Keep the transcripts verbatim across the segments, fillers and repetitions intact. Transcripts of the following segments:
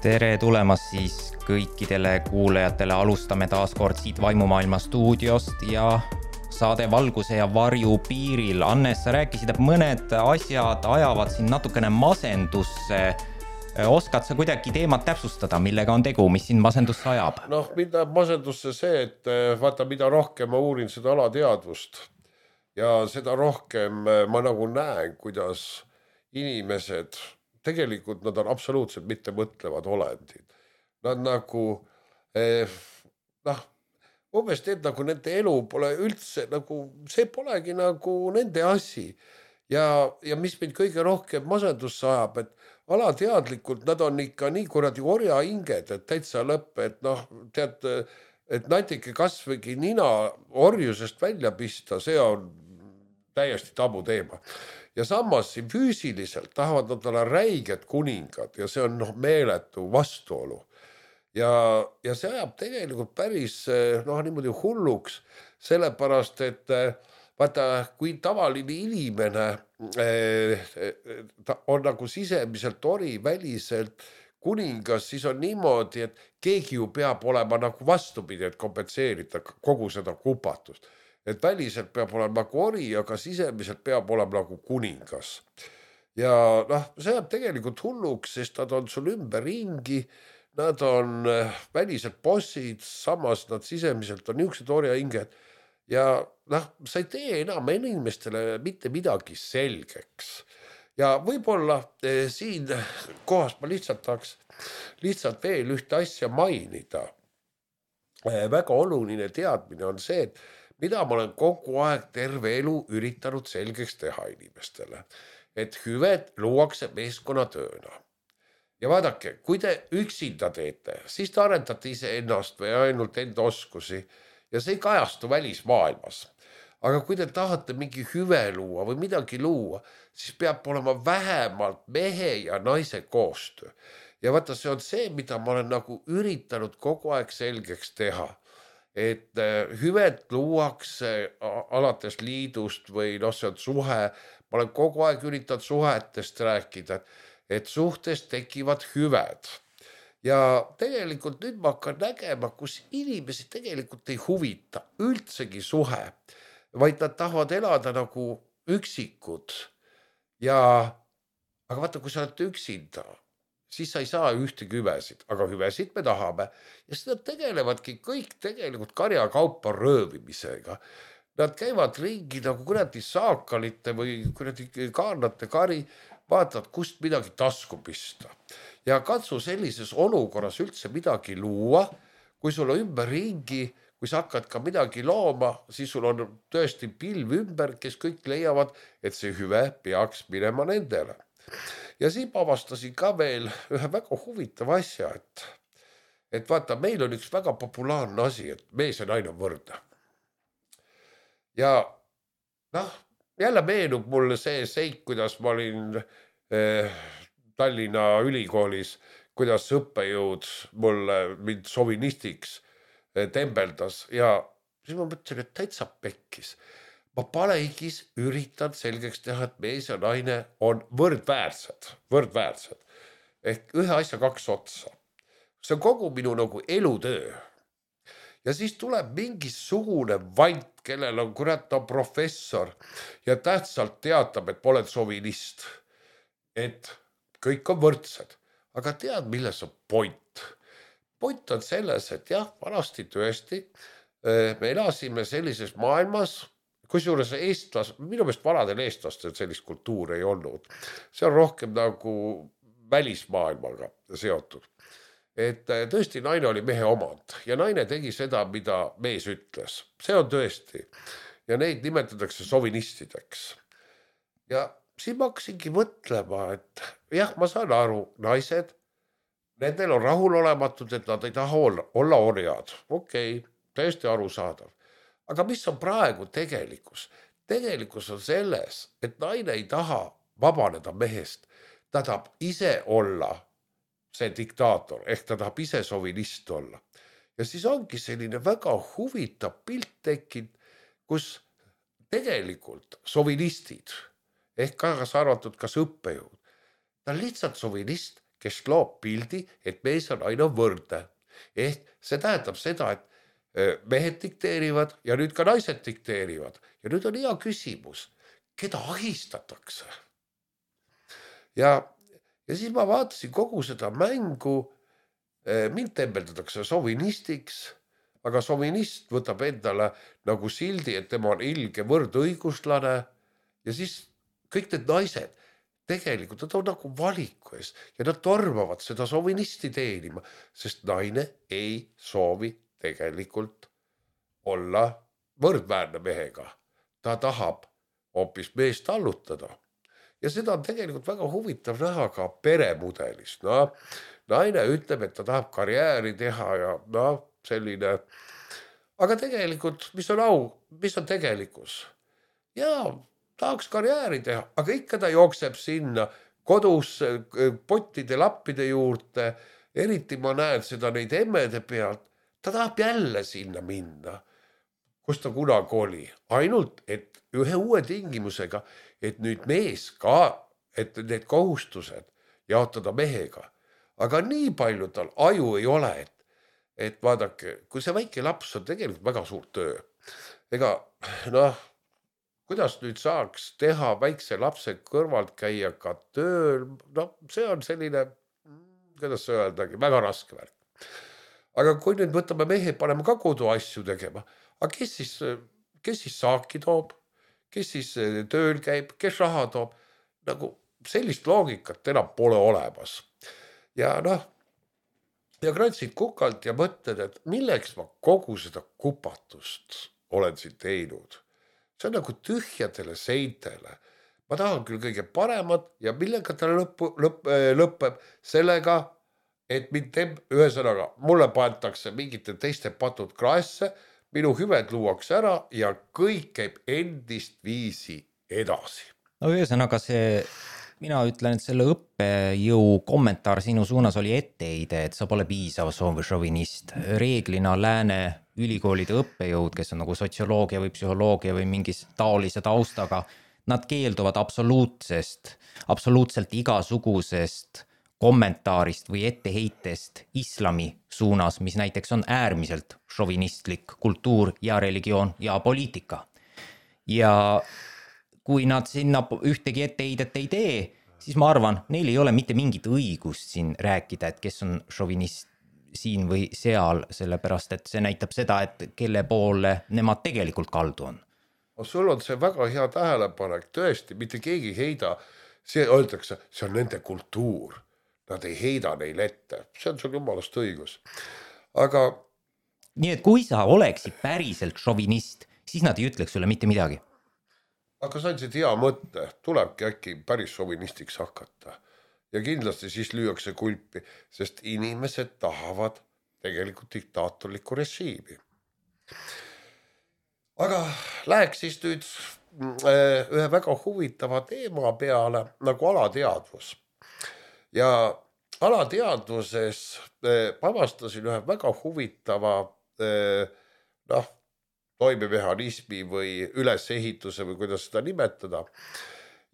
Tere tulemast siis kõikidele kuulajatele, alustame taas kord siit Vaimumaailma stuudiost ja saade Valguse ja varju piiril. Annes, sa rääkisid, et mõned asjad ajavad siin natukene masendusse. Oskad sa kuidagi teemat täpsustada, millega on tegu, mis siin masendusse ajab? Noh, mida masendusse see, et vaata, mida rohkem ma uurin seda alateadvust ja seda rohkem ma nagu näen, kuidas inimesed, tegelikult nad on absoluutselt mitte mõtlevad olendid. Nad nagu, eh, noh, umbes teed nagu nende elu pole üldse, nagu see polegi nagu nende asi. Ja, ja mis mind kõige rohkem masendusse ajab, et alateadlikult nad on ikka nii kuradi orja hinged, et täitsa lõpp, et noh, tead, et natike kasvõgi nina orjusest välja pista, see on täiesti tabu teema. Ja samas siin füüsiliselt tahavad nad olla räiged kuningad ja see on noh, meeletu vastuolu. Ja, ja see ajab tegelikult päris noh, niimoodi hulluks, sellepärast, et vaata, kui tavaline inimene ta on nagu sisemiselt ori, väliselt kuningas, siis on niimoodi, et keegi ju peab olema nagu vastupidi, et kompenseerida kogu seda kupatust. Et väliselt peab olema nagu ori, aga sisemiselt peab olema nagu kuningas. Ja noh, see jääb tegelikult hulluks, sest nad on sul ümber ringi, nad on väliselt bossid, samas nad sisemiselt on niisugused orja hinged. Ja noh, sa ei tee enam inimestele mitte midagi selgeks. Ja võib-olla eh, siin kohas ma lihtsalt tahaks lihtsalt veel ühte asja mainida. Eh, väga oluline teadmine on see, et mida ma olen kogu aeg terve elu üritanud selgeks teha inimestele. Et hüved luuakse meeskonnatööna. Ja vaadake, kui te üksinda teete, siis te arendate ise ennast või ainult enda oskusi ja see ei kajastu välismaailmas. Aga kui te tahate mingi hüve luua või midagi luua, siis peab olema vähemalt mehe ja naise koostöö. Ja vaata, see on see, mida ma olen nagu üritanud kogu aeg selgeks teha. Et hüved luuakse alates liidust või noh, see on suhe. Ma olen kogu aeg üritanud suhetest rääkida, et suhtes tekivad hüved. Ja tegelikult nüüd ma hakkan nägema, kus inimesi tegelikult ei huvita üldsegi suhe, vaid nad tahavad elada nagu üksikud. Ja, aga vaata, kui sa oled üksinda, siis sa ei saa ühtegi hüvesid, aga hüvesid me tahame. Ja seda tegelevadki kõik tegelikult karjakaupa röövimisega. Nad käivad ringi nagu kuradi saakalite või kuradi kaarnate kari, vaatavad, kust midagi tasku pista. Ja katsu sellises olukorras üldse midagi luua, kui sul on ümber ringi, kui sa hakkad ka midagi looma, siis sul on tõesti pilv ümber, kes kõik leiavad, et see hüve peaks minema nendele. Ja siin avastasin ka veel ühe väga huvitava asja, et, et vaata, meil on üks väga populaarne asi, et mees ja naine on võrdne. Ja noh, jälle meenub mulle see seik, kuidas ma olin eh, Tallinna ülikoolis, kuidas õppejõud mulle mind sovinistiks eh, tembeldas ja siis ma mõtlesin, et täitsa pekkis. Ma paleigis üritan selgeks teha, et mees ja naine on võrdväärsed, võrdväärsed. Ehk ühe asja kaks otsa. See on kogu minu nagu elutöö. Ja siis tuleb mingisugune vant, kellel on kurat on professor ja tähtsalt teatab, et ma olen sovinist. Et kõik on võrdsed. Aga tead, milles on point? Point on selles, et jah, vanasti tõesti me elasime sellises maailmas, kusjuures eestlas, minu meelest vanadel eestlastel sellist kultuuri ei olnud. See on rohkem nagu välismaailmaga seotud. Et tõesti naine oli mehe omand ja naine tegi seda, mida mees ütles. See on tõesti. Ja neid nimetatakse sovinistideks. Ja siin ma hakkasingi mõtlema, et jah, ma saan aru, naised, nendel on rahulolematud, et nad ei taha olla, olla orjad. Okei, tõesti aru saadav. Aga mis on praegu tegelikkus? Tegelikkus on selles, et naine ei taha vabaneda mehest. Ta tahab ise olla see diktaator, ehk ta tahab ise sovinist olla. Ja siis ongi selline väga huvitav pilt tekkinud, kus tegelikult sovinistid, ehk kaasa arvatud kas õppejõud, ta on lihtsalt sovinist, kes loob pildi, et mees on aina võrdne. Ehk see tähendab seda, et mehed dikteerivad ja nüüd ka naised dikteerivad. Ja nüüd on hea küsimus, keda ahistatakse? Ja, ja siis ma vaatasin kogu seda mängu, mind tembeldatakse sovinistiks, aga sovinist võtab endale nagu sildi, et tema on ilge võrdõiguslane ja siis kõik need naised tegelikult nad on nagu valiku ees ja nad tormavad seda sovinisti teenima, sest naine ei soovi tegelikult olla võrdväärne mehega. Ta tahab hoopis meest allutada. Ja seda on tegelikult väga huvitav näha ka peremudelis. No, naine ütleb, et ta tahab karjääri teha ja no, selline. Aga tegelikult, mis on au, mis on tegelikkus? Jaa, tahaks karjääri teha, aga ikka ta jookseb sinna kodus pottide lappide juurde, eriti ma näen seda neid emmede pealt, ta tahab jälle sinna minna, kus ta kunagi oli. Ainult, et ühe uue tingimusega, et nüüd mees ka, et need kohustused jaotada mehega. Aga nii palju tal aju ei ole, et, et vaadake, kui see väike laps on tegelikult väga suur töö. Ega, noh, kuidas nüüd saaks teha väikse lapse kõrvalt käia ka tööl, no see on selline, kuidas öeldagi, väga raske värk. Aga kui nüüd võtame mehe, paneme ka kodu asju tegema, aga kes siis, kes siis saaki toob, kes siis tööl käib, kes raha toob, nagu sellist loogikat enam pole olemas. Ja noh, ja krantsid kukalt ja mõtled, et milleks ma kogu seda kupatust olen siin teinud. See on nagu tühjadele seintele. Ma tahan küll kõige paremat ja millega ta lõpp, lõpp, lõppeb sellega, et mind teeb ühesõnaga, mulle paetakse mingite teiste patud kraesse, minu hüved luuakse ära ja kõik käib endist viisi edasi. No ühesõnaga see, mina ütlen, et selle õppejõu kommentaar sinu suunas oli etteheide, et sa pole piisav šovinist. Reeglina lääne ülikoolide õppejõud, kes on nagu sotsioloogia või psühholoogia või mingis taolise taustaga, nad keelduvad absoluutsest, absoluutselt igasugusest kommentaarist või etteheitest islami suunas, mis näiteks on äärmiselt šovinistlik kultuur ja religioon ja poliitika. Ja kui nad sinna ühtegi etteheidet ei tee, siis ma arvan, neil ei ole mitte mingit õigust siin rääkida, et kes on šovinist siin või seal, sellepärast, et see näitab seda, et kelle poole nemad tegelikult kaldu on. Sul on see väga hea tähelepanek, tõesti, mitte keegi heida, see öeldakse, see on nende kultuur, nad ei heida neil ette, see on sul jumalast õigus. Aga nii et kui sa oleksid päriselt šovinist, siis nad ei ütleks sulle mitte midagi. Aga sa andsid hea mõtte, tulebki äkki päris šovinistiks hakata. Ja kindlasti siis lüüakse kulpi, sest inimesed tahavad tegelikult diktaatorlikku režiimi. Aga läheks siis nüüd ühe väga huvitava teema peale, nagu alateadvus. Ja alateadvuses avastasin ühe väga huvitava noh, toimemehhanismi või ülesehituse või kuidas seda nimetada.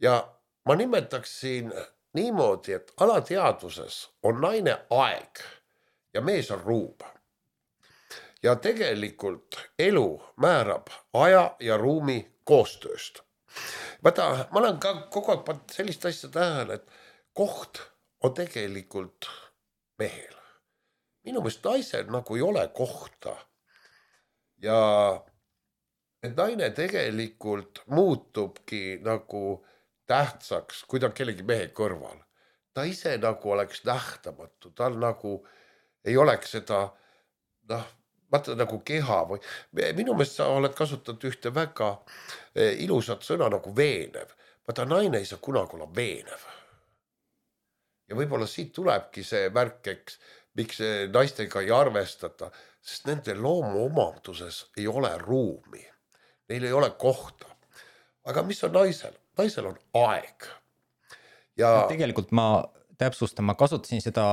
Ja ma nimetaksin niimoodi, et alateadvuses on naine aeg ja mees on ruum. Ja tegelikult elu määrab aja ja ruumi koostööst. Vaata, ma olen ka kogu aeg pannud sellist asja tähele, et koht on tegelikult mehel. Minu meelest naisel nagu ei ole kohta. Ja et naine tegelikult muutubki nagu tähtsaks, kui ta on kellegi mehe kõrval. Ta ise nagu oleks nähtamatu, tal nagu ei oleks seda, noh, vaata nagu keha või minu meelest sa oled kasutanud ühte väga ilusat sõna nagu veenev. Vaata, naine ei saa kunagi olla veenev. Ja võib-olla siit tulebki see märkeks, miks naistega ei arvestata, sest nende loomu omanduses ei ole ruumi. Neil ei ole kohta. Aga mis on naisel? Naisel on aeg. Ja tegelikult ma täpsustan, ma kasutasin seda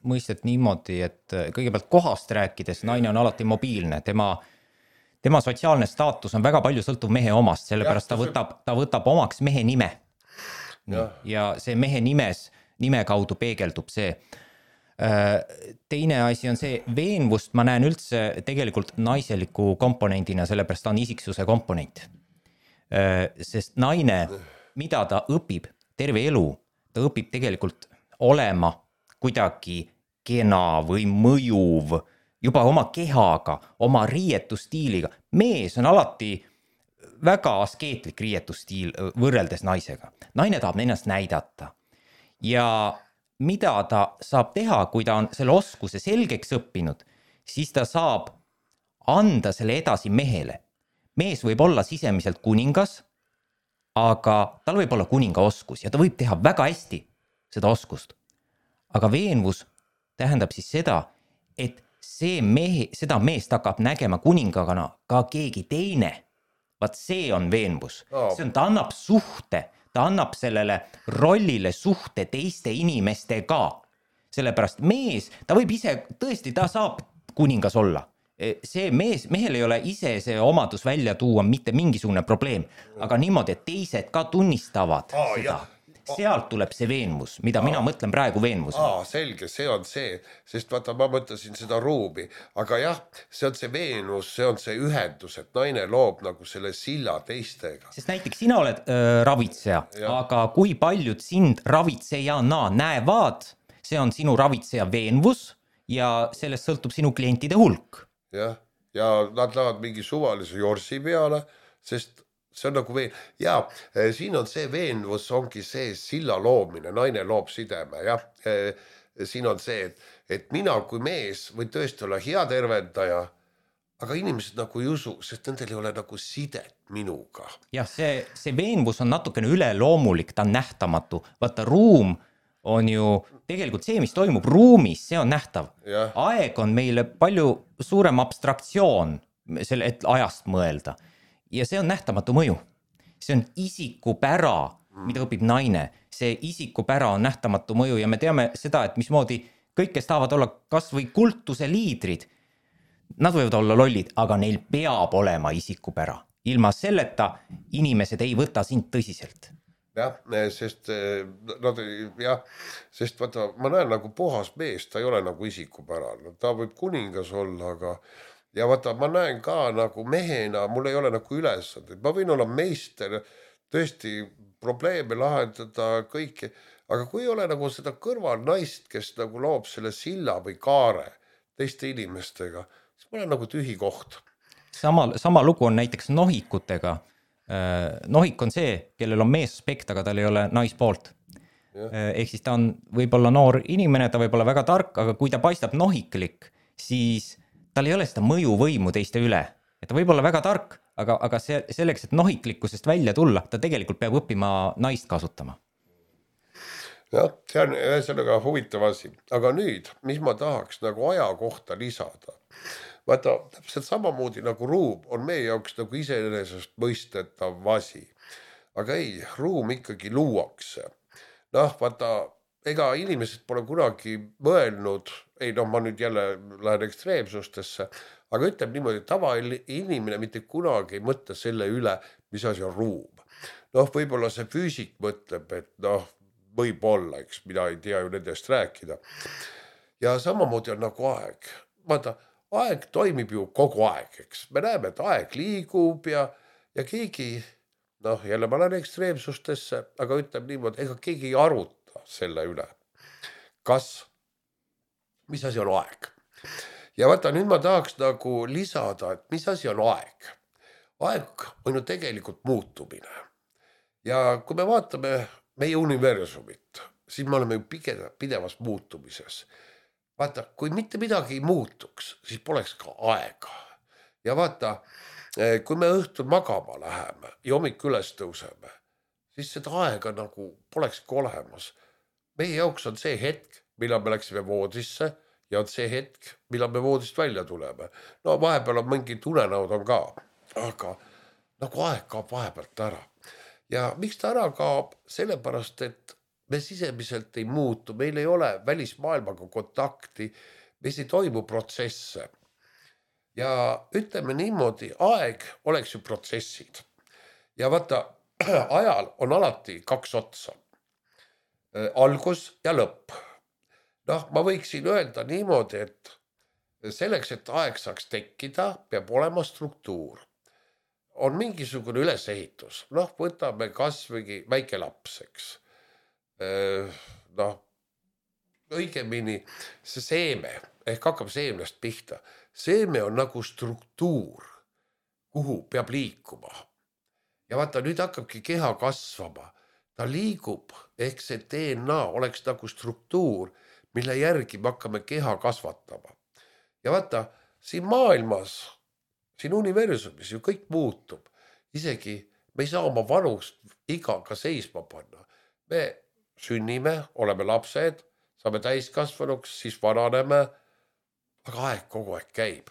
mõistet niimoodi, et kõigepealt kohast rääkides naine on alati mobiilne. Tema, tema sotsiaalne staatus on väga palju sõltuv mehe omast, sellepärast ja, ta, võtab, ta võtab omaks mehe nime. Ja. ja see mehe nimes nime kaudu peegeldub see. Teine asi on see, veenvust ma näen üldse tegelikult naiseliku komponendina, sellepärast ta on isiksuse komponent. Sest naine, mida ta õpib terve elu, ta õpib tegelikult olema kuidagi kena või mõjuv, juba oma kehaga, oma riietustiiliga. Mees on alati väga askeetlik riietustiil võrreldes naisega. Naine tahab ennast näidata. Ja mida ta saab teha, kui ta on selle oskuse selgeks õppinud, siis ta saab anda selle edasi mehele. Mees võib olla sisemiselt kuningas, aga tal võib olla kuninga oskus ja ta võib teha väga hästi seda oskust. Aga veenvus tähendab siis seda, et see mehe, seda meest hakkab nägema kuningagana ka keegi teine. Vaat see on veenvus. See on, ta annab suhte, ta annab sellele rollile suhte teiste inimestega. Sellepärast mees, ta võib ise, tõesti, ta saab kuningas olla. See mees, mehel ei ole ise see omadus välja tuua mitte mingisugune probleem, aga niimoodi, et teised ka tunnistavad Aa, seda. Jah. Sealt tuleb see veenvus, mida Aa. mina mõtlen praegu veenvus. Aa, selge, see on see, sest vaata, ma mõtlesin seda ruumi, aga jah, see on see veenvus, see on see ühendus, et naine loob nagu selle silla teistega. Sest näiteks sina oled äh, ravitseja, ja. Aga kui paljud sind ravitsejana näevad, see on sinu ravitseja veenvus ja sellest sõltub sinu klientide hulk. Jah, ja nad lähevad mingi suvalise jorsi peale, sest see on nagu veen... ja siin on see veenvus, ongi see silla loomine, naine loob sideme, jah. Siin on see, et, et mina kui mees võin tõesti olla hea tervendaja, aga inimesed nagu ei usu, sest nendel ei ole nagu sidet minuga. Jah, see, see veenvus on natukene üleloomulik, ta on nähtamatu. Vaata, ruum on ju tegelikult see, mis toimub ruumis, see on nähtav. Ja. Aeg on meile palju suurem abstraktsioon, selle, et ajast mõelda. Ja see on nähtamatu mõju. See on isikupära, mida õpib naine. See isikupära on nähtamatu mõju ja me teame seda, et mismoodi kõik, kes tahavad olla kas või kultuse liidrid, nad võivad olla lollid, aga neil peab olema isikupära. Ilma selleta inimesed ei võta sind tõsiselt. Jah, sest, nad, jah, sest vaata, ma näen nagu puhas mees, ta ei ole nagu isikupärane. Ta võib kuningas olla, aga ja vaata, ma näen ka nagu mehena, mul ei ole nagu ülesand. Ma võin olla meister, tõesti probleeme lahendada kõike, aga kui ei ole nagu seda kõrval naist, kes nagu loob selle silla või kaare teiste inimestega, siis ma olen nagu tühi koht. Sama, sama lugu on näiteks nohikutega. Nohik on see, kellel on meessaspekt, aga tal ei ole naispoolt. Ehk siis ta on võib-olla noor inimene, ta võib olla väga tark, aga kui ta paistab nohiklik, siis tal ei ole seda mõjuvõimu teiste üle. Et ta võib olla väga tark, aga, aga see, selleks, et nohiklikkusest välja tulla, ta tegelikult peab õppima naist kasutama. Jah, see on ühesõnaga huvitav asi. Aga nüüd, mis ma tahaks nagu aja kohta lisada? Vaata, täpselt samamoodi nagu ruum on meie jaoks nagu iseenesest mõistetav asi. Aga ei, ruum ikkagi luuakse. Noh, vaata, ega inimesed pole kunagi mõelnud, ei noh, ma nüüd jälle lähen ekstreemsustesse, aga ütleb niimoodi, et tava inimene mitte kunagi ei mõtle selle üle, mis asi on ruum. Noh, võib-olla see füüsik mõtleb, et noh, võib-olla, eks mina ei tea ju nendest rääkida. Ja samamoodi on nagu aeg. Vaata, aeg toimib ju kogu aeg, eks. Me näeme, et aeg liigub ja, ja keegi, noh, jälle ma lähen ekstreemsustesse, aga ütleb niimoodi, ega keegi ei aruta selle üle. Kas, mis asi on aeg? Ja vaata, nüüd ma tahaks nagu lisada, et mis asi on aeg. Aeg on ju tegelikult muutumine. Ja kui me vaatame meie universumit, siis me oleme ju pidevas muutumises. Vaata, kui mitte midagi ei muutuks, siis poleks ka aega. Ja vaata, kui me õhtul magama läheme ja hommik üles tõuseme, siis seda aega nagu polekski olemas. Meie jaoks on see hetk, millal me läksime voodisse ja on see hetk, millal me voodist välja tuleme. No vahepeal on mingi tunenäod on ka, aga nagu aeg kaob vahepealt ära. Ja miks ta ära kaob? Sellepärast, et me sisemiselt ei muutu, meil ei ole välismaailmaga kontakti, meis ei toimu protsesse. Ja ütleme niimoodi, aeg oleks ju protsessid. Ja vaata, ajal on alati kaks otsa. algus ja lõpp. Noh, ma võiksin öelda niimoodi, et selleks, et aeg saaks tekkida, peab olema struktuur. On mingisugune ülesehitus. Noh, võtame kasvõi väike laps, eks. Noh, õigemini see seeme, ehk hakkab seemnest pihta. Seeme on nagu struktuur, kuhu peab liikuma. Ja vaata, nüüd hakkabki keha kasvama. Ta liigub, ehk see D N A oleks nagu struktuur, mille järgi me hakkame keha kasvatama. Ja vaata, siin maailmas, siin universumis ju kõik muutub. Isegi me ei saa oma vanust igaga seisma panna. Me sünnime, oleme lapsed, saame täiskasvanuks, siis vananeme, aga aeg kogu aeg käib.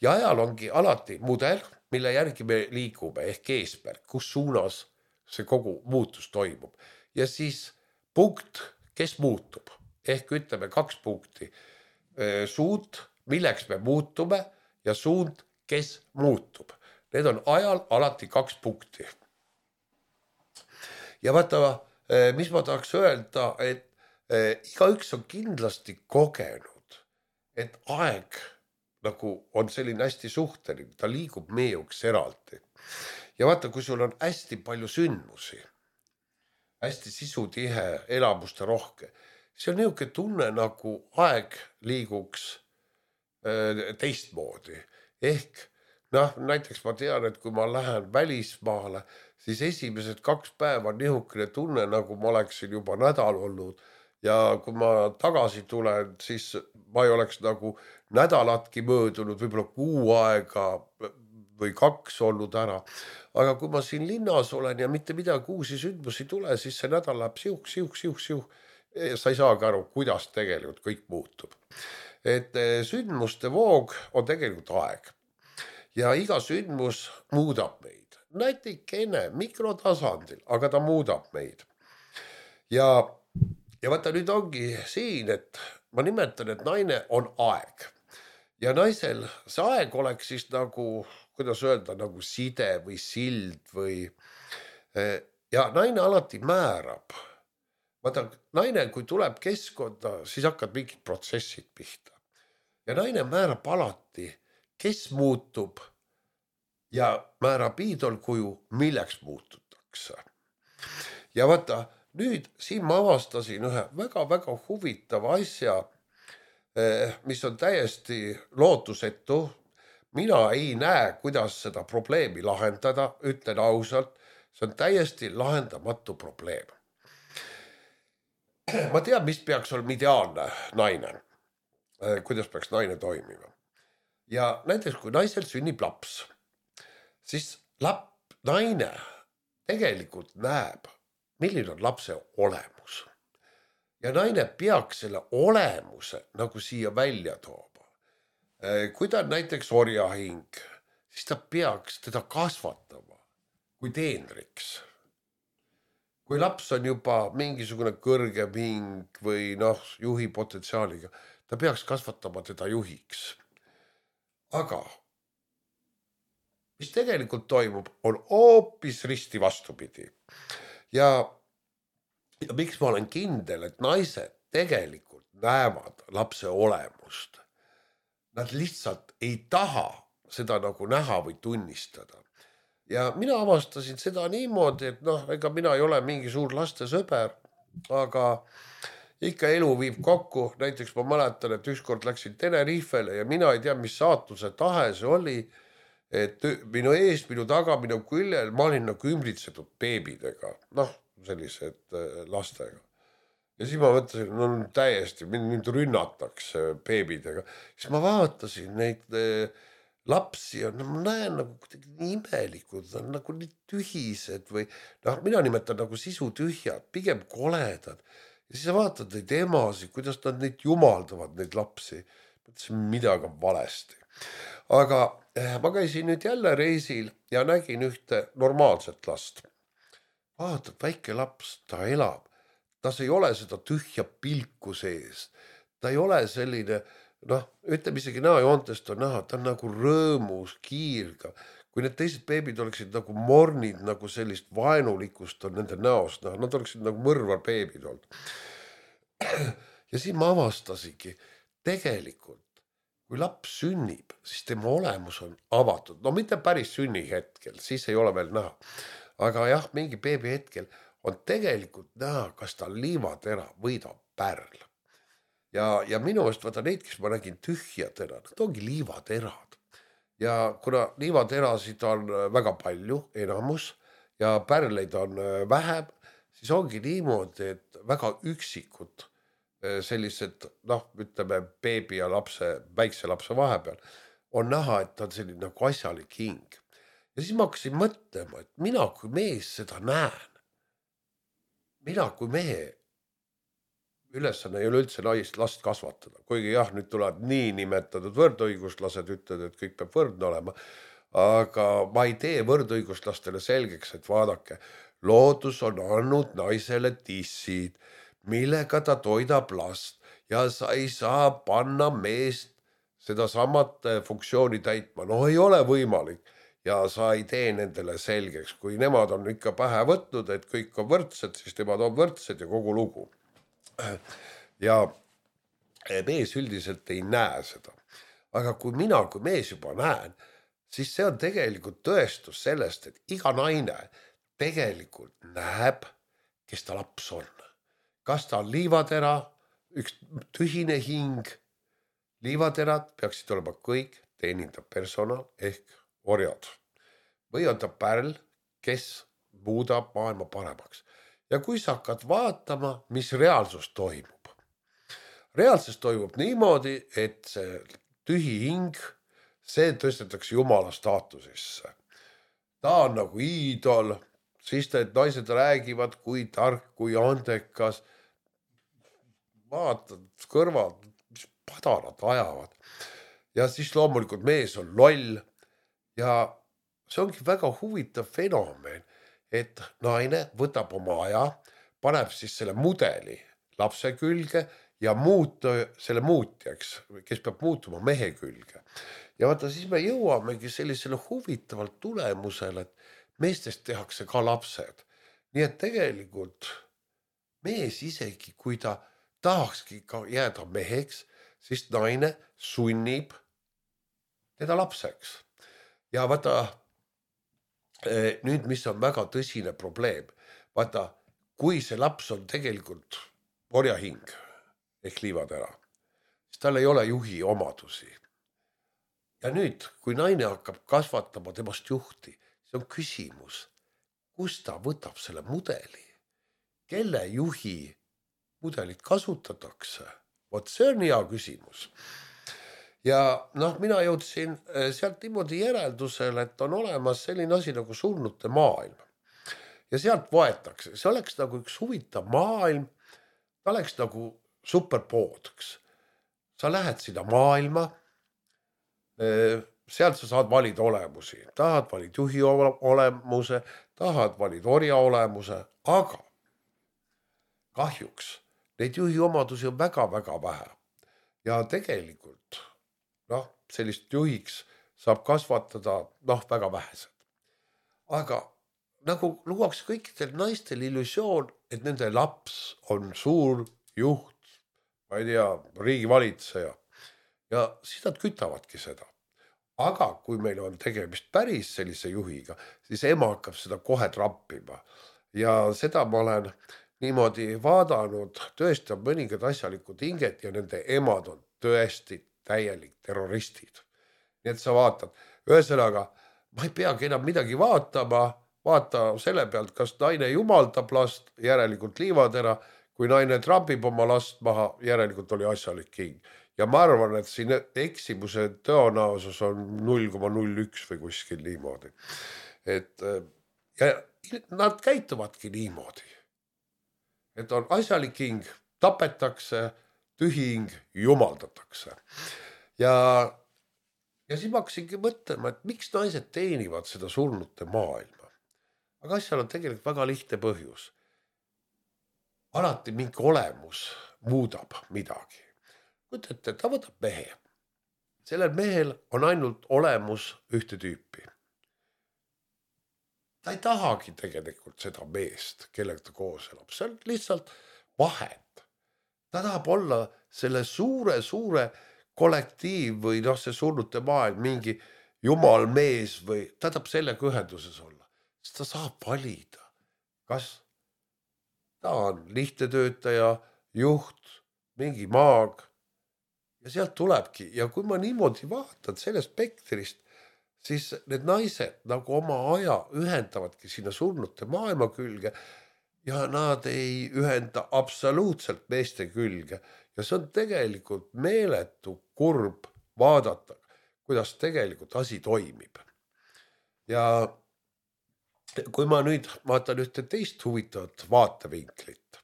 Ja ajal ongi alati mudel, mille järgi me liigume, ehk eesmärk, kus suunas see kogu muutus toimub. Ja siis punkt, kes muutub, ehk ütleme kaks punkti. Suund, milleks me muutume ja suund, kes muutub. Need on ajal alati kaks punkti. Ja vaata, mis ma tahaks öelda, et igaüks on kindlasti kogenud, et aeg nagu on selline hästi suhteline, ta liigub meejuks eraldi. Ja vaata, kui sul on hästi palju sündmusi, hästi sisutihe, elamuste rohke, see on niisugune tunne, nagu aeg liiguks teistmoodi. Ehk noh, näiteks ma tean, et kui ma lähen välismaale, siis esimesed kaks päeva on niisugune tunne, nagu ma oleksin juba nädal olnud. Ja kui ma tagasi tulen, siis ma ei oleks nagu nädalatki möödunud, võib-olla kuu aega või kaks olnud ära. Aga kui ma siin linnas olen ja mitte midagi uusi sündmusi tule, siis see nädal läheb siuh, siuh, siuh, siuh. Sa ei saagi aru, kuidas tegelikult kõik muutub. Et sündmuste voog on tegelikult aeg. Ja iga sündmus muudab meid. Nätikene mikrotasandil, aga ta muudab meid. Ja, ja vaata nüüd ongi siin, et ma nimetan, et naine on aeg. Ja naisel see aeg oleks siis nagu, kuidas öelda, nagu side või sild või... Ja naine alati määrab. Vaata, naine, kui tuleb keskkonda, siis hakkad mingid protsessid pihta. Ja naine määrab alati, kes muutub ja määrab iidolkuju, milleks muututakse. Ja vaata, nüüd siin ma avastasin ühe väga-väga huvitava asja, mis on täiesti lootusetu. Mina ei näe, kuidas seda probleemi lahendada, ütlen ausalt, see on täiesti lahendamatu probleem. Ma tean, mis peaks olema ideaalne naine, kuidas peaks naine toimima. Ja näiteks, kui naisel sünnib laps, siis lap, naine tegelikult näeb, milline on lapse olemus. Ja naine peaks selle olemuse nagu siia välja tooma. Kui ta on näiteks orjahing, siis ta peaks teda kasvatama kui teenriks. Kui laps on juba mingisugune kõrgem hing või noh, juhi potentsiaaliga, ta peaks kasvatama teda juhiks. Aga mis tegelikult toimub, on hoopis risti vastupidi. Ja, ja miks ma olen kindel, et naised tegelikult näevad lapse olemust. Nad lihtsalt ei taha seda nagu näha või tunnistada. Ja mina avastasin seda niimoodi, et noh, ega mina ei ole mingi suur laste sõber, aga ikka elu viib kokku. Näiteks ma mäletan, et ükskord läksin Tenerifele ja mina ei tea, mis saatuse tahe see oli, et minu ees, minu taga, minu küljel, ma olin nagu ümbritsetud beebidega, noh, sellised lastega. Ja siis ma mõtlesin, no täiesti, mind rünnatakse beebidega. Siis ma vaatasin neid lapsi ja ma näen nagu kuidagi nii imelikud, on nagu nii tühised või noh, mina nimetan nagu sisu tühjad, pigem koledad. Ja siis sa vaatad neid emasid, kuidas nad neid jumaldavad, neid lapsi. Mõtlesin, midagi on valesti. Aga ma käisin nüüd jälle reisil ja nägin ühte normaalset last. Vaatad, väike laps, ta elab. Tas ei ole seda tühja pilku sees. Ta ei ole selline, noh, ütleme isegi näojoontest on näha, ta on nagu rõõmus, kiirga. kui need teised beebid oleksid nagu mornid, nagu sellist vaenulikust on nende näost, noh, nad oleksid nagu mõrvar beebid olnud. Ja siis ma avastasingi, tegelikult, kui laps sünnib, siis tema olemus on avatud. No mitte päris sünni hetkel, siis ei ole veel näha. Aga jah, mingi beebi hetkel on tegelikult näha, kas ta on liivatera või ta on pärl. Ja, ja minu eest vaata neid, kes ma nägin tühjatera, nad ongi liivaterad. Ja kuna liivaterasid on väga palju, enamus, ja pärleid on vähem, siis ongi niimoodi, et väga üksikud sellised, noh, ütleme, beebi ja lapse, väikse lapse vahepeal on näha, et ta on selline nagu asjalik hing. Ja siis ma hakkasin mõtlema, et mina kui mees seda näen, mina kui mehe ülesanne ei ole üldse naist last kasvatada, kuigi jah, nüüd tuleb nii nimetatud võrdõiguslased, ütled, et kõik peab võrdne olema, aga ma ei tee võrdõiguslastele selgeks, et vaadake, loodus on andnud naisele tissid, millega ta toidab last ja sa ei saa panna meest seda samat funktsiooni täitma. No ei ole võimalik ja sa ei tee nendele selgeks. Kui nemad on ikka pähe võtnud, et kõik on võrdsed, siis nemad on võrdsed ja kogu lugu. Ja mees üldiselt ei näe seda. Aga kui mina kui mees juba näen, siis see on tegelikult tõestus sellest, et iga naine tegelikult näeb, kes ta laps on. Kas ta on liivatera, üks tühine hing, liivaterad peaksid olema kõik teenindav personal ehk orjad. Või on ta pärl, kes muudab maailma paremaks. Ja kui sa hakkad vaatama, mis reaalsus toimub. Reaalsus toimub niimoodi, et see tühi hing, see tõstetakse Jumala staatusesse. Ta on nagu iidol, siis need naised räägivad, kui tark, kui andekas. Vaatad kõrval, mis padarad ajavad. Ja siis loomulikult mees on loll. Ja see ongi väga huvitav fenomen, et naine võtab oma aja, paneb siis selle mudeli lapse külge ja muuta selle muutjaks, kes peab muutuma mehe külge. Ja vaata, siis me jõuamegi sellisele huvitavalt tulemusele, et meestest tehakse ka lapsed. Nii et tegelikult mees isegi, kui ta tahakski ka jääda meheks, siis naine sunnib teda lapseks. Ja vaata, nüüd mis on väga tõsine probleem, vaata, kui see laps on tegelikult orjahing ehk liivatera, siis tal ei ole juhi omadusi. Ja nüüd, kui naine hakkab kasvatama temast juhti, see on küsimus, kus ta võtab selle mudeli, kelle juhi mudelit kasutatakse. Vot see on hea küsimus. Ja noh, mina jõudsin sealt niimoodi järeldusele, et on olemas selline asi nagu surnute maailm. Ja sealt võetakse, see oleks nagu üks huvitav maailm, ta oleks nagu superpoodks. Sa lähed sinna maailma, sealt sa saad valida olemusi, tahad valid juhi olemuse, tahad valid orja olemuse, aga kahjuks neid juhi omadusi on väga-väga vähe. Ja tegelikult, noh, sellist juhiks saab kasvatada, noh, väga vähesed. Aga nagu luuakse kõikidel naistel illusioon, et nende laps on suur juht, ma ei tea, riigivalitseja. Ja siis nad kütavadki seda. Aga kui meil on tegemist päris sellise juhiga, siis ema hakkab seda kohe trappima. Ja seda ma olen niimoodi vaadanud, tõesti on mõningad asjalikud hinged ja nende emad on tõesti täielik terroristid. Nii et sa vaatad, ühesõnaga, ma ei peagi enam midagi vaatama, vaata selle pealt, kas naine jumaldab last, järelikult liivatera, kui naine trambib oma last maha, järelikult oli asjalik hing. Ja ma arvan, et siin eksimuse tõenäosus on null koma null üks või kuskil niimoodi. Et ja nad käituvadki niimoodi. Et on asjalik hing, tapetakse, tühing, jumaldatakse. Ja, ja siis ma hakkasingi mõtlema, et miks naised teenivad seda surnute maailma. Aga asjal on tegelikult väga lihtne põhjus. Alati mingi olemus muudab midagi. Mõtlete, ta võtab mehe. Sellel mehel on ainult olemus ühte tüüpi. ta ei tahagi tegelikult seda meest, kellega ta koos elab, see on lihtsalt vahend. Ta tahab olla selle suure, suure kollektiiv või noh, see surnute maailm, mingi jumal mees või ta tahab sellega ühenduses olla. Siis ta saab valida, kas ta on lihtne töötaja, juht, mingi maag ja sealt tulebki. Ja kui ma niimoodi vaatan sellest spektrist, siis need naised nagu oma aja ühendavadki sinna surnute maailma külge ja nad ei ühenda absoluutselt meeste külge. Ja see on tegelikult meeletu kurb vaadata, kuidas tegelikult asi toimib. Ja kui ma nüüd vaatan ühte teist huvitavat vaatevinklit,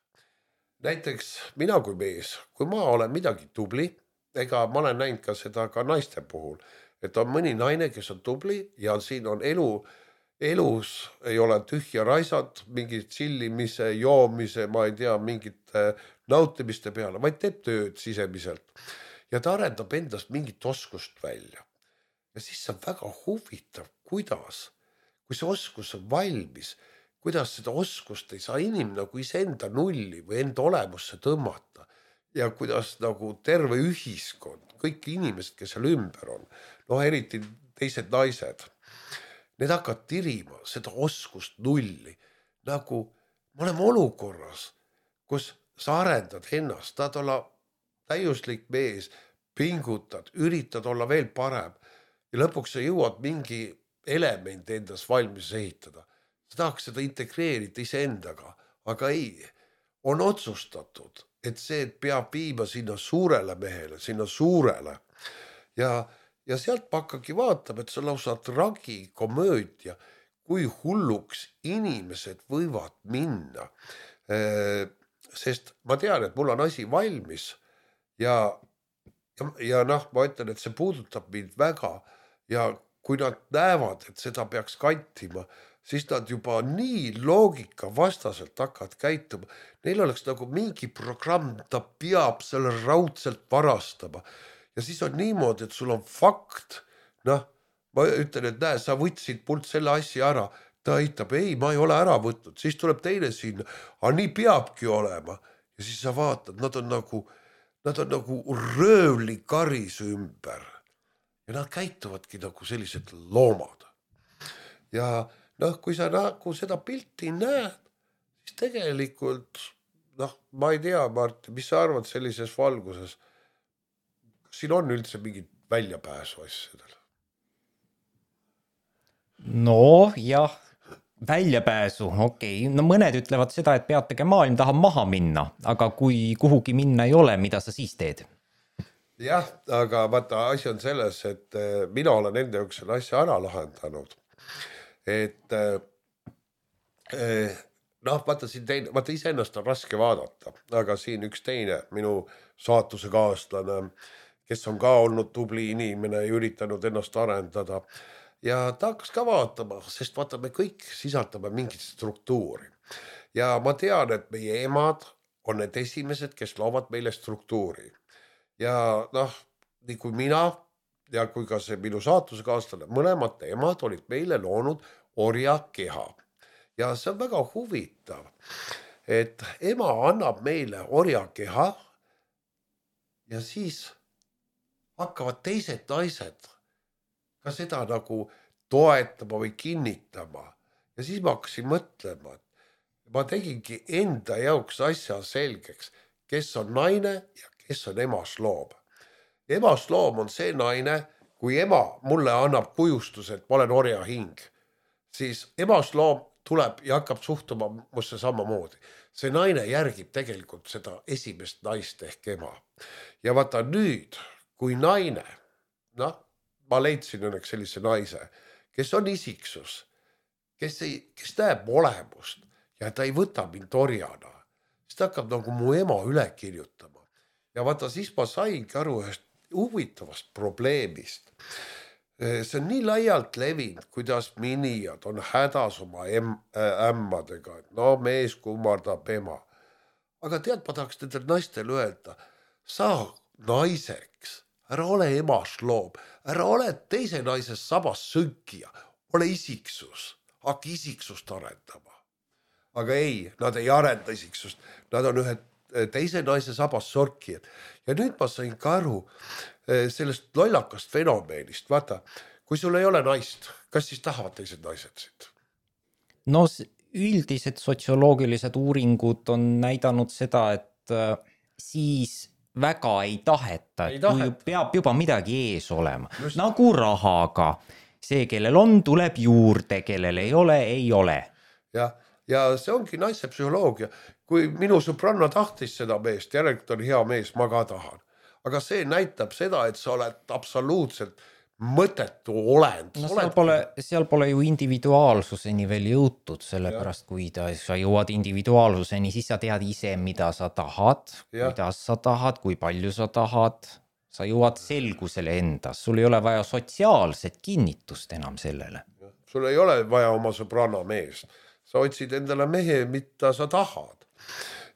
näiteks mina kui mees, kui ma olen midagi tubli, ega ma olen näinud ka seda ka naiste puhul, et on mõni naine, kes on tubli ja siin on elu, elus ei ole tühja raisad, mingid chillimise, joomise, ma ei tea, mingite nautimiste peale, vaid teeb tööd sisemiselt. Ja ta arendab endast mingit oskust välja. Ja siis on väga huvitav, kuidas, kui see oskus on valmis, kuidas seda oskust ei saa inimene nagu iseenda nulli või enda olemusse tõmmata. Ja kuidas nagu terve ühiskond, kõik inimesed, kes seal ümber on, noh eriti teised naised, need hakkavad tirima seda oskust nulli. Nagu me oleme olukorras, kus sa arendad ennast, tahad olla täiuslik mees, pingutad, üritad olla veel parem ja lõpuks sa jõuad mingi element endas valmis ehitada. Sa tahaks seda integreerida iseendaga, aga ei, on otsustatud, et see peab viima sinna suurele mehele, sinna suurele. Ja, ja sealt ma hakkagi vaatab, et see lausa tragikomöödia, kui hulluks inimesed võivad minna. Sest ma tean, et mul on asi valmis ja, ja, ja noh, ma ütlen, et see puudutab mind väga ja kui nad näevad, et seda peaks kantima, siis nad juba nii loogika vastaselt hakkavad käituma. Neil oleks nagu mingi programm, ta peab selle raudselt varastama. Ja siis on niimoodi, et sul on fakt. Noh, ma ütlen, et näe, sa võtsid pult selle asja ära. Ta eitab, ei, ma ei ole ära võtnud. Siis tuleb teine sinna. Aga nii peabki olema. Ja siis sa vaatad, nad on nagu, nad on nagu röövli karis ümber. Ja nad käituvadki nagu sellised loomad. Ja noh, kui sa nagu seda pilti näed, siis tegelikult, noh, ma ei tea, Martin, mis sa arvad sellises valguses? Kas siin on üldse mingid väljapääsu asjadel? No jah, väljapääsu, okei. Okay. No mõned ütlevad seda, et peatege maailm tahab maha minna, aga kui kuhugi minna ei ole, mida sa siis teed? Jah, aga vaata, asi on selles, et mina olen enda jaoks selle asja ära lahendanud. Et noh, vaata siin teine, vaata iseennast on raske vaadata, aga siin üks teine minu saatuse kaaslane, kes on ka olnud tubli inimene ja üritanud ennast arendada ja ta hakkas ka vaatama, sest vaata, me kõik sisaldame mingit struktuuri ja ma tean, et meie emad on need esimesed, kes loovad meile struktuuri ja noh, nii kui mina ja kui ka see minu saatuse kaaslane, mõlemad emad olid meile loonud orja keha. Ja see on väga huvitav, et ema annab meile orja keha ja siis hakkavad teised naised ka seda nagu toetama või kinnitama. Ja siis ma hakkasin mõtlema, et ma tegingi enda jaoks asja selgeks, kes on naine ja kes on emasloom. Emasloom on see naine, kui ema mulle annab kujustuse, et ma olen orja hing, siis emasloom tuleb ja hakkab suhtuma musse samamoodi. See naine järgib tegelikult seda esimest naist ehk ema. Ja vaata nüüd, kui naine, noh, ma leidsin õnneks sellise naise, kes on isiksus, kes, ei, kes näeb olemust ja ta ei võta mind orjana, siis ta hakkab nagu mu ema üle kirjutama. Ja vaata, siis ma saingi aru ühest huvitavast probleemist. See on nii laialt levinud, kuidas minijad on hädas oma em, äh, ämmadega, et no mees kummardab ema. Aga tead, ma tahaks nendel naistel öelda, sa naiseks, ära ole emasloom, ära ole teise naises sabas sõnkija, ole isiksus, hakka isiksust arendama. Aga ei, nad ei arenda isiksust, nad on ühe teise naise sabas sorkijad. Ja nüüd ma sain ka aru sellest lollakast fenomeenist, vaata, kui sul ei ole naist, kas siis tahavad teised naised siit? No üldised sotsioloogilised uuringud on näidanud seda, et siis väga ei taheta, et taheta. Peab juba midagi ees olema. Just. Nagu rahaga. See, kellel on, tuleb juurde, kellel ei ole, ei ole. Ja, ja see ongi naise psühholoogia. Kui minu sõbranna tahtis seda meest, järelikult on hea mees, ma ka tahan. Aga see näitab seda, et sa oled absoluutselt mõttetu olend. No seal pole, seal pole ju individuaalsuseni veel jõutud, sellepärast kui ta, sa jõuad individuaalsuseni, siis sa tead ise, mida sa tahad, ja. Kuidas sa tahad, kui palju sa tahad, sa jõuad selgusele endas, sul ei ole vaja sotsiaalset kinnitust enam sellele. Sul ei ole vaja oma sõbrana mees, sa otsid endale mehe, mida sa tahad.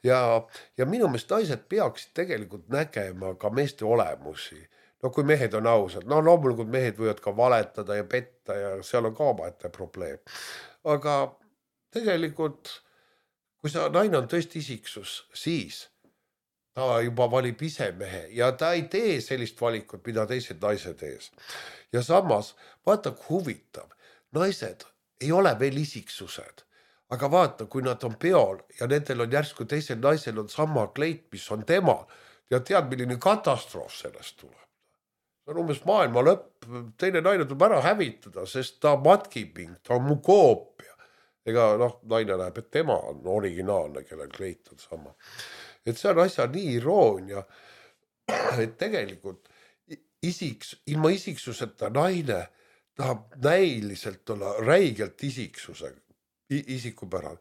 Ja, ja minu meelest naised peaksid tegelikult nägema ka meeste olemusi. No kui mehed on ausad, no loomulikult mehed võivad ka valetada ja petta ja seal on ka omaette probleem. Aga tegelikult, kui sa naine on tõesti isiksus, siis ta juba valib ise mehe ja ta ei tee sellist valikut, mida teised naised ees. Ja samas, vaata kui huvitav, naised ei ole veel isiksused, aga vaata, kui nad on peol ja nendel on järsku teisel naisel on sama kleit, mis on tema ja tead, milline katastroof sellest tuleb. See on umbes maailma lõpp, teine naine tuleb ära hävitada, sest ta matkiping, ta on mu koopia. Ega noh, naine näeb, et tema on originaalne, kellel kleit on sama. Et see on asja nii iroonia, et tegelikult isiks, ilma isiksuseta naine tahab näiliselt olla räigelt isiksuse, isikupärane.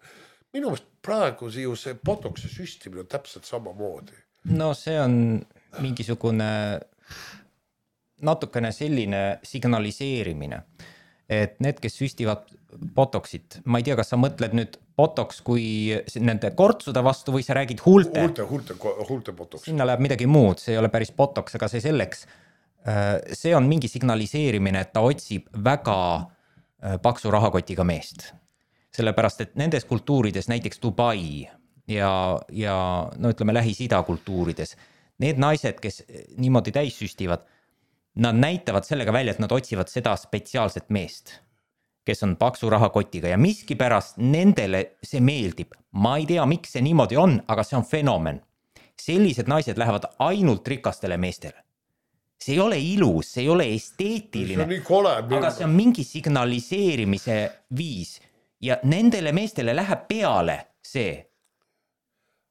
Minu meelest praegu ju see botoksi süstimine on täpselt sama moodi. No see on mingisugune natukene selline signaliseerimine, et need, kes süstivad botoksit, ma ei tea, kas sa mõtled nüüd botoks kui nende kortsude vastu või sa räägid huulte? Huulte, huulte, huulte botoks. Sinna läheb midagi muud, see ei ole päris botoks, aga see selleks. See on mingi signaliseerimine, et ta otsib väga paksu rahakotiga meest. Sellepärast, et nendes kultuurides, näiteks Dubai ja, ja no ütleme Lähis-Ida kultuurides, need naised, kes niimoodi täis süstivad, nad näitavad sellega välja, et nad otsivad seda spetsiaalset meest, kes on paksu rahakotiga ja miski pärast nendele see meeldib. Ma ei tea, miks see niimoodi on, aga see on fenomen. Sellised naised lähevad ainult rikastele meestele. See ei ole ilus, see ei ole esteetiline, see kole, aga see on mingi signaliseerimise viis ja nendele meestele läheb peale see.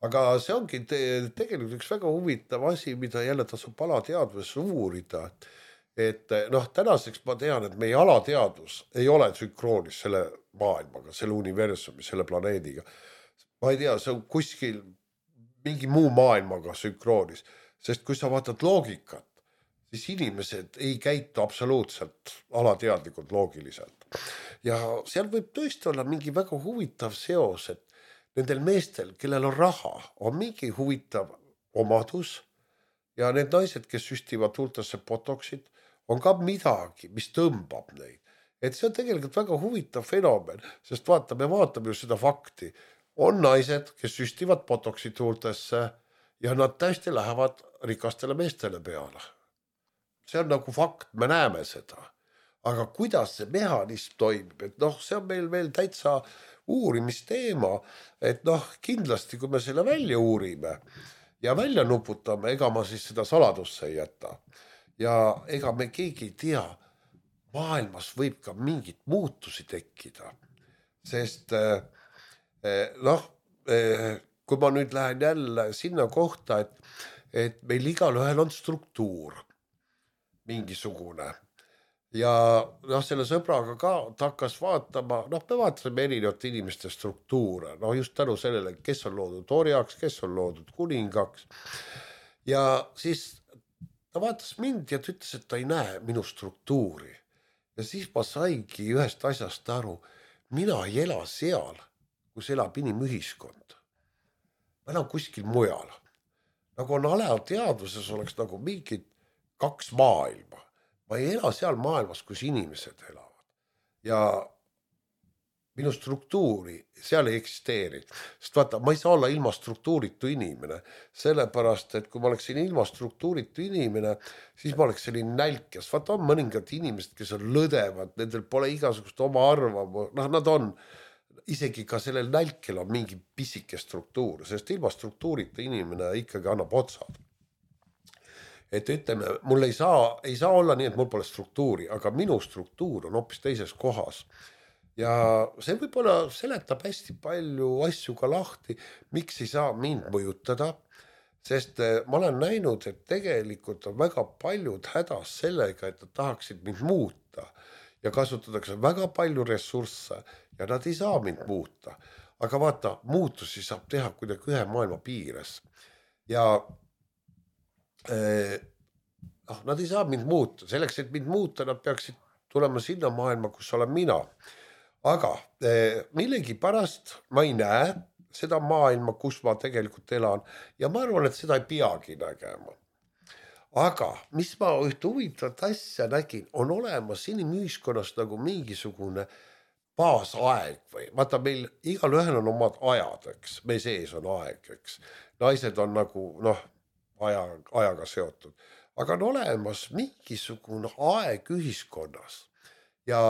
Aga see ongi te, tegelikult üks väga huvitav asi, mida jälle tasub alateadvuses uurida. Et noh, tänaseks ma tean, et meie alateadvus ei ole sünkroonis selle maailmaga, selle universumi, selle planeediga. Ma ei tea, see on kuskil mingi muu maailmaga sünkroonis, sest kui sa vaatad loogikat, siis inimesed ei käitu absoluutselt alateadlikult loogiliselt. Ja seal võib tõesti olla mingi väga huvitav seos, et nendel meestel, kellel on raha, on mingi huvitav omadus ja need naised, kes süstivad huultesse botoksid, on ka midagi, mis tõmbab neid. Et see on tegelikult väga huvitav fenomen, sest vaata, me vaatame ju seda fakti. On naised, kes süstivad botoksid huultesse ja nad täiesti lähevad rikastele meestele peale. See on nagu fakt, me näeme seda. Aga kuidas see mehhanism toimib, et noh, see on meil veel täitsa uurimisteema, et noh, kindlasti kui me selle välja uurime ja välja nuputame, ega ma siis seda saladusse ei jäta. Ja ega me keegi ei tea, maailmas võib ka mingit muutusi tekkida. Sest noh, kui ma nüüd lähen jälle sinna kohta, et, et meil igal ühel on struktuur mingisugune. Ja noh, selle sõbraga ka ta hakkas vaatama, noh, me vaatasime erinevate inimeste struktuure, no just tänu sellele, kes on loodud orjaks, kes on loodud kuningaks. Ja siis ta vaatas mind ja ta ütles, et ta ei näe minu struktuuri. Ja siis ma saingi ühest asjast aru, mina ei ela seal, kus elab inimühiskond. Ma elan kuskil mujal. Nagu on alateadvuses oleks nagu mingid kaks maailma. Ma ei ela seal maailmas, kus inimesed elavad. Ja minu struktuuri seal ei eksisteeri. Sest vaata, ma ei saa olla ilma struktuuritu inimene, sellepärast, et kui ma oleksin ilma struktuuritu inimene, siis ma oleks selline nälkes. Vaata, on mõningad inimesed, kes on lõdevad, nendel pole igasugust oma arvamu, noh, nad on, isegi ka sellel nälkel on mingi pisike struktuur, sest ilma struktuurita inimene ikkagi annab otsad. Et ütleme, mul ei saa, ei saa olla nii, et mul pole struktuuri, aga minu struktuur on hoopis teises kohas. Ja see võib-olla seletab hästi palju asju ka lahti, miks ei saa mind mõjutada, sest ma olen näinud, et tegelikult on väga paljud hädas sellega, et nad tahaksid mind muuta ja kasutatakse väga palju ressursse ja nad ei saa mind muuta. Aga vaata, muutusi saab teha kuidagi ühe maailma piires ja eh, noh, nad ei saa mind muuta. Selleks, et mind muuta, nad peaksid tulema sinna maailma, kus olen mina. Aga eh, millegi pärast ma ei näe seda maailma, kus ma tegelikult elan ja ma arvan, et seda ei peagi nägema. Aga mis ma ühte huvitavat asja nägin, on olemas inimühiskonnas nagu mingisugune baasaeg või vaata meil igal ühel on omad ajad, eks, me sees on aeg, eks. Naised on nagu noh, aja, ajaga seotud, aga on olemas mingisugune aeg ühiskonnas ja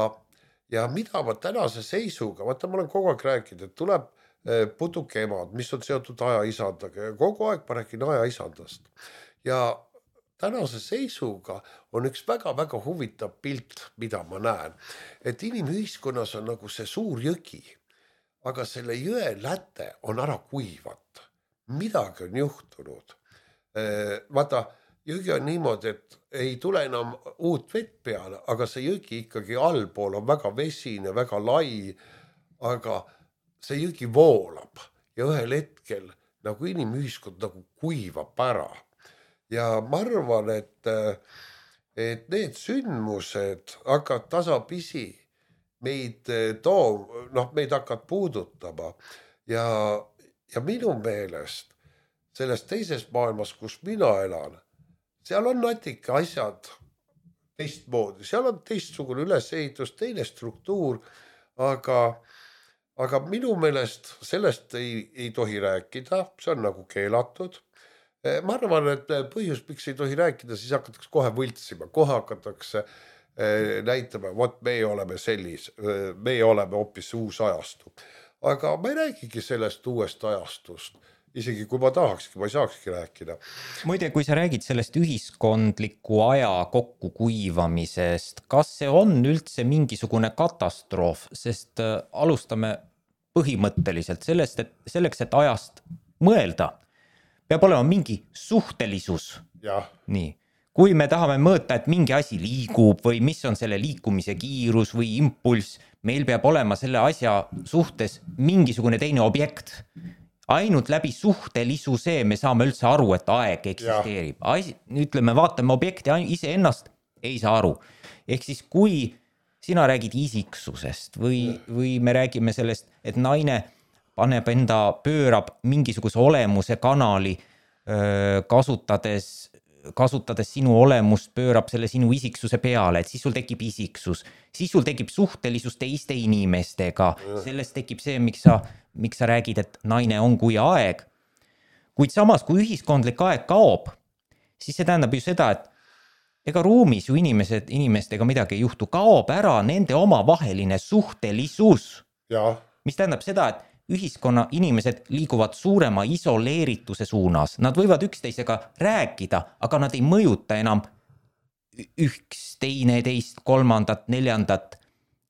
Ja mida ma tänase seisuga, vaata ma olen kogu aeg rääkinud, et tuleb putuke emad, mis on seotud aja isandaga ja kogu aeg ma rääkin aja isandast. Ja tänase seisuga on üks väga-väga huvitav pilt, mida ma näen. Et inimühiskonnas on nagu see suur jõgi, aga selle jõe läte on ära kuivat. Midagi on juhtunud. Vaata, jõgi on niimoodi, et ei tule enam uut vett peale, aga see jõgi ikkagi allpool on väga vesine, väga lai, aga see jõgi voolab ja ühel hetkel nagu inimühiskond nagu kuivab ära. Ja ma arvan, et, et need sündmused hakkavad tasapisi meid too, noh, meid hakkavad puudutama ja, ja minu meelest selles teises maailmas, kus mina elan, seal on natuke asjad teistmoodi, seal on teistsugune ülesehitus, teine struktuur, aga, aga minu meelest sellest ei, ei tohi rääkida, see on nagu keelatud. Ma arvan, et põhjus, miks ei tohi rääkida, siis hakatakse kohe võltsima, kohe hakatakse näitama, vot me oleme sellis, me oleme hoopis uus ajastu. Aga ma ei räägigi sellest uuest ajastust. Isegi kui ma tahakski, ma ei saakski rääkida. Muide, kui sa räägid sellest ühiskondliku aja kokkukuivamisest, kas see on üldse mingisugune katastroof, sest alustame põhimõtteliselt sellest, et selleks, et ajast mõelda, peab olema mingi suhtelisus. Ja. Nii. Kui me tahame mõõta, et mingi asi liigub või mis on selle liikumise kiirus või impulss, meil peab olema selle asja suhtes mingisugune teine objekt. Ainult läbi suhtelisuse me saame üldse aru, et aeg eksisteerib. Asi, ütleme, vaatame objekti ise ennast, ei saa aru. Ehk siis kui sina räägid isiksusest või, või me räägime sellest, et naine paneb enda, pöörab mingisuguse olemuse kanali, kasutades, kasutades sinu olemust, pöörab selle sinu isiksuse peale, et siis sul tekib isiksus. Siis sul tekib suhtelisus teiste inimestega. Sellest tekib see, miks sa, miks sa räägid, et naine on kui aeg. Kuid samas, kui ühiskondlik aeg kaob, siis see tähendab ju seda, et ega ruumis ju inimesed, inimestega midagi ei juhtu. Kaob ära nende omavaheline suhtelisus. Ja. Mis tähendab seda, et ühiskonna inimesed liiguvad suurema isoleerituse suunas. Nad võivad üksteisega rääkida, aga nad ei mõjuta enam üks, teine, teist, kolmandat, neljandat.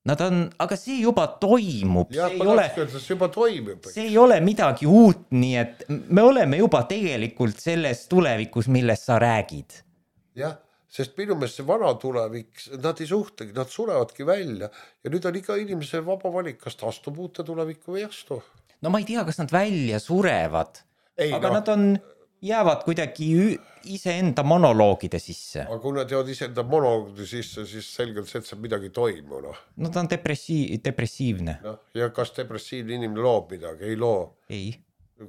Nad on, aga see juba toimub. Ja, see, ei ole, see juba toimub. See ei ole midagi uut, nii et me oleme juba tegelikult selles tulevikus, millest sa räägid. Jah, sest minu meelest see vana tulevik, nad ei suhtegi, nad surevadki välja ja nüüd on iga inimese vaba valik, kas ta astub uute tulevikku või astu. No ma ei tea, kas nad välja surevad, ei, aga no. Nad on, jäävad kuidagi iseenda monoloogide sisse. Aga kui nad jäävad iseenda monoloogide sisse, siis selgelt see, et see midagi toimu. No, no ta on depressi- depressiivne. No, ja kas depressiivne inimene loob midagi? Ei loo. Ei.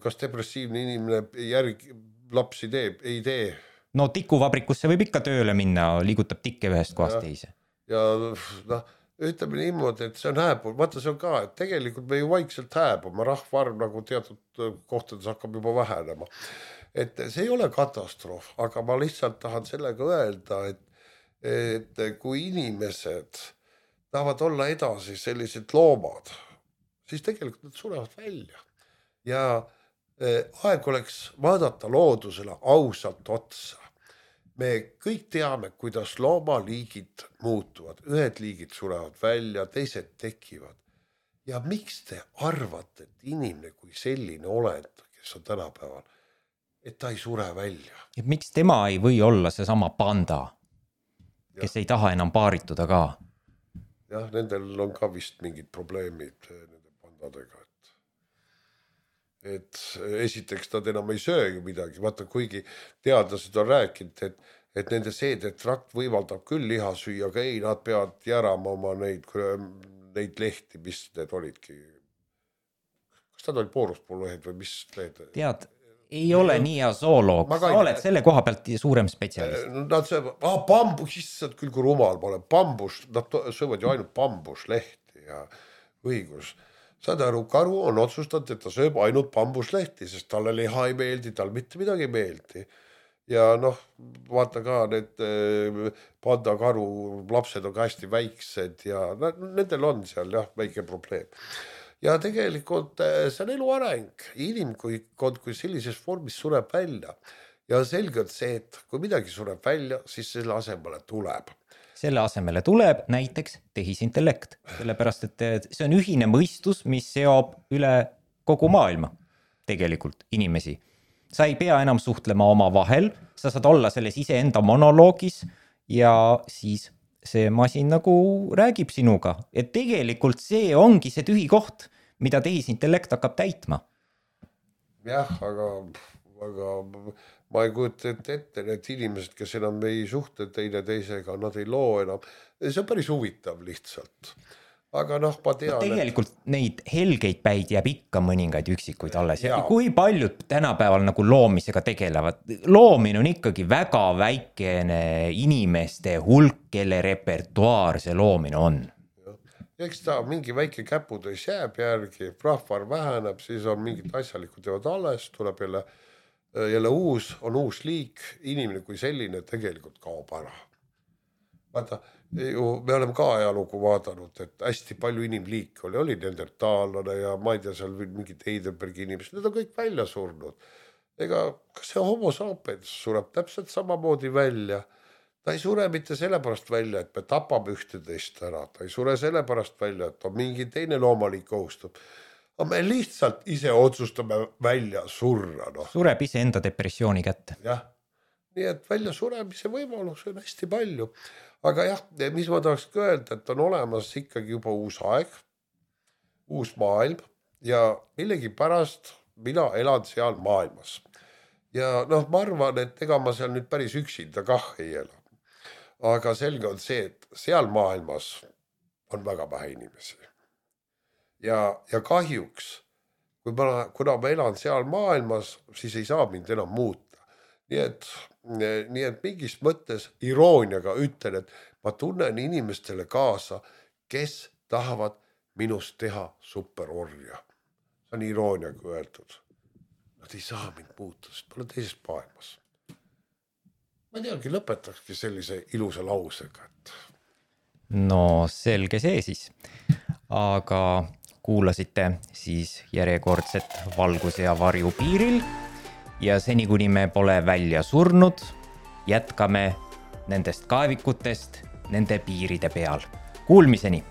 Kas depressiivne inimene järgi lapsi teeb? Ei tee. No tikuvabrikusse võib ikka tööle minna, liigutab tikke ühest kohast teise. Ja noh, ütleme niimoodi, et see on hääbub, vaata see on ka, et tegelikult me ju vaikselt hääbume, rahvaarv nagu teatud kohtades hakkab juba vähenema. Et see ei ole katastroof, aga ma lihtsalt tahan sellega öelda, et, et kui inimesed tahavad olla edasi sellised loomad, siis tegelikult nad surevad välja. Ja aeg oleks vaadata loodusele ausalt otsa. Me kõik teame, kuidas loomaliigid muutuvad. Ühed liigid surevad välja, teised tekivad. Ja miks te arvate, et inimene kui selline olend, kes on tänapäeval, et ta ei sure välja? Ja miks tema ei või olla seesama panda, kes ja. Ei taha enam paarituda ka? Jah, nendel on ka vist mingid probleemid nende pandadega. Et esiteks nad enam ei söögi midagi, vaata kuigi teadlased on rääkinud, et, et nende seedetrakt võimaldab küll liha süüa, aga ei, nad peavad järama oma neid, neid lehti, mis need olidki. Kas nad olid pooruspululehed või mis lehed? Tead, ei ole nii hea zooloog, sa oled selle koha pealt suurem spetsialist. Nad söövad, ah, bambus, issand küll kui rumal ma olen, bambus, nad söövad ju ainult bambuslehti ja õigus. Saad aru, karu on otsustanud, et ta sööb ainult bambuslehti, sest talle liha ei meeldi, tal mitte midagi ei meeldi. Ja noh, vaata ka need panda karu lapsed on ka hästi väiksed ja nendel on seal jah, väike probleem. Ja tegelikult see on elu areng. Inimkond kui sellises vormis sureb välja. Ja selgelt see, et kui midagi sureb välja, siis selle asemele tuleb. Selle asemele tuleb näiteks tehisintellekt, sellepärast et see on ühine mõistus, mis seob üle kogu maailma tegelikult inimesi. Sa ei pea enam suhtlema oma vahel, sa saad olla selles iseenda monoloogis ja siis see masin nagu räägib sinuga. Et tegelikult see ongi see tühi koht, mida tehisintellekt hakkab täitma. Jah, aga... aga ma ei kujuta ette, ette need inimesed, kes enam ei suhte teine teisega, nad ei loo enam. See on päris huvitav lihtsalt. Aga noh, ma tean... No tegelikult et... neid helgeid päid jääb ikka mõningaid üksikuid alles. Ja kui paljud tänapäeval nagu loomisega tegelevad? Loomine on ikkagi väga väikene inimeste hulk, kelle repertuaar see loomine on. Eks ta mingi väike käputäis jääb järgi, rahvar väheneb, siis on mingid asjalikud teevad alles, tuleb jälle... jälle uus, on uus liik, inimene kui selline tegelikult kaob ära. Vaata, ju me oleme ka ajalugu vaadanud, et hästi palju inimliike oli, oli neandertaallane ja ma ei tea, seal mingi Heidelbergi inimesed, need on kõik välja surnud. Ega kas see homo sapiens sureb täpselt samamoodi välja? Ta ei sure mitte sellepärast välja, et me tapame ühteteist ära, ta ei sure sellepärast välja, et on mingi teine loomaliik ohustub. Me lihtsalt ise otsustame välja surra. No. Sureb ise enda depressiooni kätte. Jah, nii et välja suremise võimalus on hästi palju. Aga jah, mis ma tahaks öelda, et on olemas ikkagi juba uus aeg, uus maailm ja millegi pärast mina elan seal maailmas. Ja noh, ma arvan, et ega ma seal nüüd päris üksinda kah ei ela. Aga selge on see, et seal maailmas on väga vähe inimesi. Ja, ja kahjuks, kui ma, kuna ma elan seal maailmas, siis ei saa mind enam muuta. Nii et, nii et mingis mõttes irooniaga ütlen, et ma tunnen inimestele kaasa, kes tahavad minust teha superorja. See on irooniaga öeldud. Nad ei saa mind muuta, sest ma olen teises maailmas. Ma ei teagi, lõpetakski sellise ilusa lausega. Et... No selge see siis. Aga... kuulasite siis järjekordset valguse ja varju piiril ja seni kuni me pole välja surnud, jätkame nendest kaevikutest nende piiride peal. Kuulmiseni!